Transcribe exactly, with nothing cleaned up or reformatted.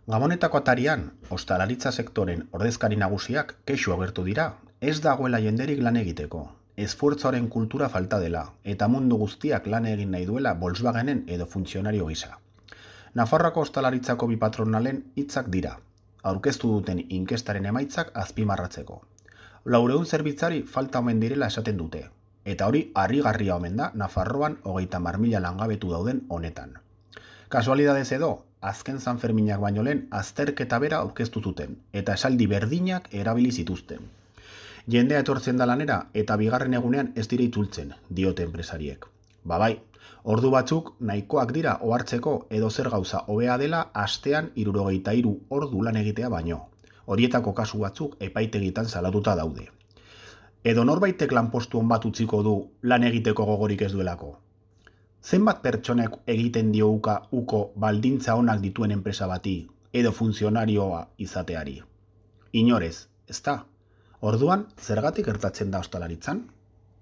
Gabonetako atarian, ostalaritza sektoren ordezkari nagusiak kexu agertu dira, ez dagoela jenderik lan egiteko, esfuertzoaren kultura falta dela, eta mundu guztiak lan egin nahi duela Volkswagenen edo funtzionario gisa. Nafarroako ostalaritzako bi patronalen hitzak dira, aurkeztu duten inkestaren emaitzak azpimarratzeko. Laurehun zerbitzari falta omen direla esaten dute, eta hori harrigarria omen da Nafarroan hogeita hamar mila langabetu dauden honetan. Kasualidadez edo, azken Sanferminak baino lehen azterketa bera aurkeztu zuten, eta esaldi berdinak erabili zituzten. Jendea etortzen da lanera eta bigarren egunean ez dira itzultzen, diote enpresariek. Babai, ordu batzuk nahikoak dira ohartzeko edo zer gauza hobea dela astean hirurogeita hiru ordu lan egitea baino. Horietako kasu batzuk epaitegitan salatuta daude. Edo norbaitek lanpostu on bat utziko du lan egiteko gogorik ez duelako. Zenbat pertsonek egiten dio uka uko baldintza onak dituen enpresa bati edo funtzionarioa izateari? Inorez, ezta? Orduan, zergatik gertatzen da ostalaritzan?